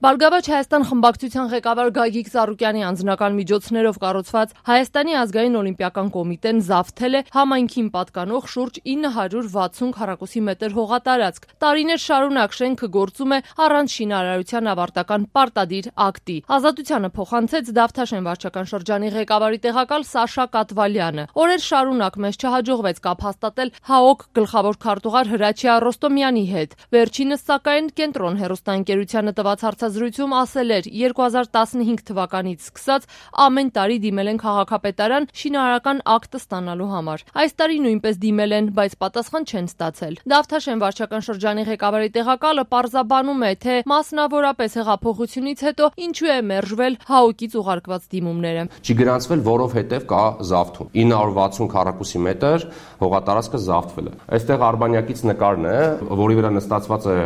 Բարգավաճ Հայաստան խմբակցության ղեկավար Գագիկ Ծառուկյանի անձնական միջոցներով կառուցված Հայաստանի ազգային օլիմպիական կոմիտեն զավթել է համայնքին պատկանող շուրջ 960 քառակուսի մետր հողատարածք։ Տարիներ շարունակ շենքը գործում է առանց շինարարության ավարտական պարտադիր ակտի։ Ազատությանը փոխանցեց Դավթաշեն վարչական շրջանի ղեկավարի տեղակալ Սաշա Կատվալյանը։ Օրեր շարունակ մեզ չհաջողվեց կապ հաստատել ՀԱՕԿ գլխավոր քարտուղար Հրաչյա Ռոստոմյանի հետ։ Վերջինս սակայն կենտրոն հեռուստաընկերությանը տված հարցազրույցում ասել էր 2015 թվականից սկսած ամեն տարի դիմել են քաղաքապետարան շինարարական ակտ ստանալու համար։ Այս տարի նույնպես դիմել են, բայց պատասխան չեն ստացել։ Դավթաշեն վարչական շրջանի ղեկավարի տեղակալը պարզաբանում է, թե մասնավորապես հեղափոխությունից հետո ինչու է մերժվել ՀԱՕԿ-ից ուղարկված դիմումները։ Չի գրանցվել, որովհետև կա զավթում։ 960 քառակուսի մետր հողատարածքը զավթվել է։ Այստեղ Արբանյակից նկարն է, որի վրա նստածված է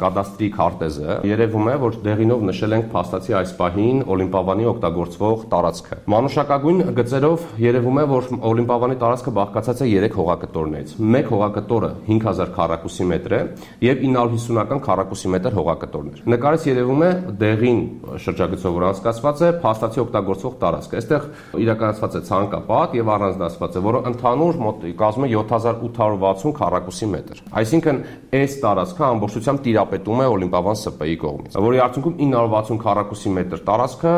կադաստրի քարտեզը։ Երևում է, որ դեղինով նշել ենք փաստացի այս պահին Օլիմպիավանի օգտագործվող տարածքը։ Մանուշակագույն գծերով երևում է, որ Օլիմպիավանի տարածքը բաղկացած է 3 հողակտորներից։ Մեկ հողակտորը 5000 քառակուսի մետր է եւ 950-ական քառակուսի մետր հողակտորներ։ Նկարից երևում է դեղին շրջագծով որ անցկացված է փաստացի օգտագործվող տարածքը։ Այստեղ իրականացված է ցանկապատ եւ առանձնացված է, որը ընդհանուր կազմում է 7860 քառակուսի մետր։ Այսինքն այս տարածքը ամբողջությամբ տիրապետում է Օլիմպիավան ՍՊ-ի կողմից, որի արդյունքում 960 քառակուսի մետր տարածքը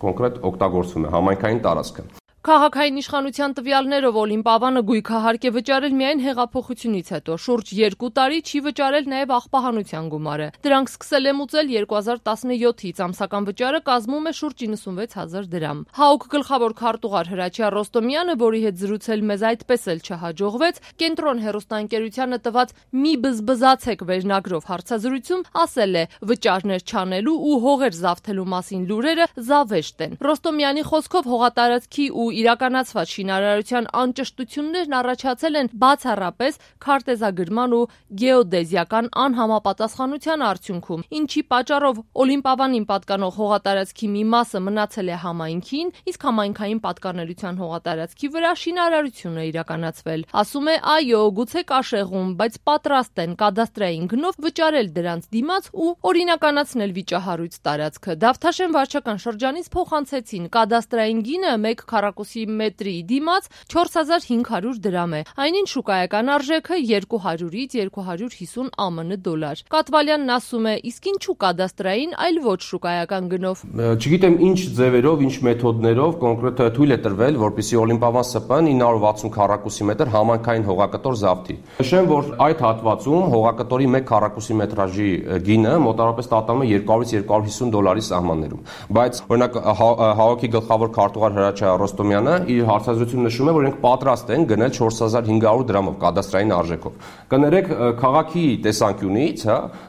կոնկրետ օգտագործվում է համայնքային տարածքը։ Քաղաքային իշխանության տվյալներով Օլիմպիավանը գույքահարկ է վճարել միայն հեղափոխությունից հետո, շուրջ 2 տարի չի վճարել նաև աղբահանության գումարը։ Դրանք սկսել է մուծել 2017-ից, ամսական վճարը կազմում է շուրջ 96000 դրամ։ ՀԱՕԿ գլխավոր քարտուղար Հրաչյա Ռոստոմյանը, որի հետ զրուցել մեզ այդպես էլ չհաջողվեց, կենտրոն հեռուստաընկերությանը տված «Մի բզբզացեք» վերնագրով հարցազրույցում ասել է, վճարներ չանելու ու հողեր զավթելու մասին լուրերը զավեշտ են։ Ռոստոմյանի խոսքով հողատարածքի ու իրականացված շինարարության անճշտություններն առաջացել են բացառապես քարտեզագրման ու գեոդեզիական անհամապատասխանության արդյունքում, ինչի պատճառով Օլիմպիավանին պատկանող հողատարածքի մի մասը մնացել է համայնքին, իսկ համայնքային պատկանելիության հողատարածքի վրա շինարարություն է իրականացվել։ Ասում է, այո, գուցե կաշեղում, բայց պատրաստ են կադաստրային գնով վճարել դրանց դիմաց ու օրինականացնել վիճահարույց տարածքը։ Դավթաշեն վարչական շրջանից փոխանցեցին կադաստրային գինը 1 քառակուսի մետրի դիմաց 4500 դրամ է։ Այնին շուկայական արժեքը 200-ից 250 ԱՄՆ դոլար։ Կատվալյանն ասում է, իսկ ինչու կադաստրային, այլ ոչ շուկայական գնով։ Չգիտեմ ինչ ձևերով, ինչ մեթոդներով կոնկրետ թույլ է տրվել, որպեսզի Օլիմպիավան ՍՊ-ն 960 քառակուսի մետր համայնքային հողակտոր զավթի։ Նշեմ, որ այդ հատվածում հողակտորի 1 քառակուսի մետրաժի գինը մոտավորապես տատանվում է 200-ից 250 դոլարի սահմաններում։ Բայց օրինակ ՀԱՕԿ-ի գլխավոր քարտուղար Հրաչյա Ռոստոմյանը իր հարցազրույցում նշում է, որ իրենք պատրաստ են գնել 4500 դրամով կադաստրային արժեքով։ Կներեք, քաղաքի տեսանկյունից,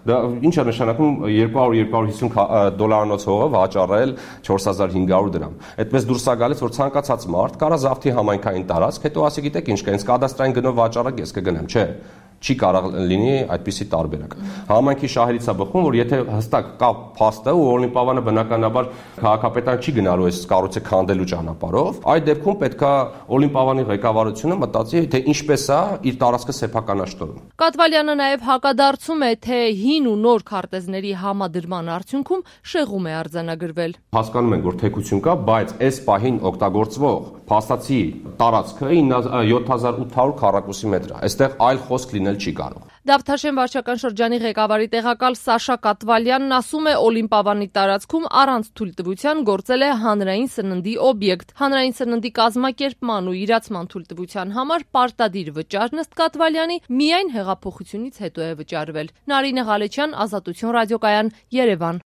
դա ինչ է նշանակում 200-250 դոլարանոց հողը վաճառել 4500 դրամ։ Այդպես դուրս է գալիս, որ ցանկացած մարդ կարա զավթի համայնքային տարածք, հետո ասի գիտեք ինչ կա, ինձ կադաստրային գնով վաճառեք, ես կգնամ, չէ։ Չի կարող լինի այդպիսի տարբերակ։ Համայնքի շահերից է բխում, որ եթե հստակ կա փաստը ու Օլիմպիավանը բնականաբար քաղաքապետարան չի գնալու այս կառույցը քանդելու ճանապարհով, այդ դեպքում պետքա Օլիմպիավանի ղեկավարությունը մտածի, թե ինչպես է իր տարածքը սեփականաշտորում։ Կատվալյանը նաև հակադարձում է, թե հին ու նոր քարտեզների համադրման արդյունքում շեղում է արձանագրվել։ Հասկանում ենք, որ թեկություն կա, բայց այս պահին օգտագործվող փաստացի տարածքը 7800 քառակուսի մետր է։ Այստեղ այլ խոսք լինել չի կարող։ Դավթաշեն վարչական շրջանի ղեկավարի տեղակալ Սաշա Կատվալյանն ասում է, Օլիմպիավանի տարածքում առանց թույլտվության գործել է հանրային սննդի օբյեկտ։ Հանրային սննդի կազմակերպման ու իրացման թույլտվության համար պարտադիր վճարն ըստ Կատվալյանի միայն հեղափոխությունից հետո է վճարվել։ Նարինե Ղալեչյան, Ազատություն ռադիոկայան, Երևան։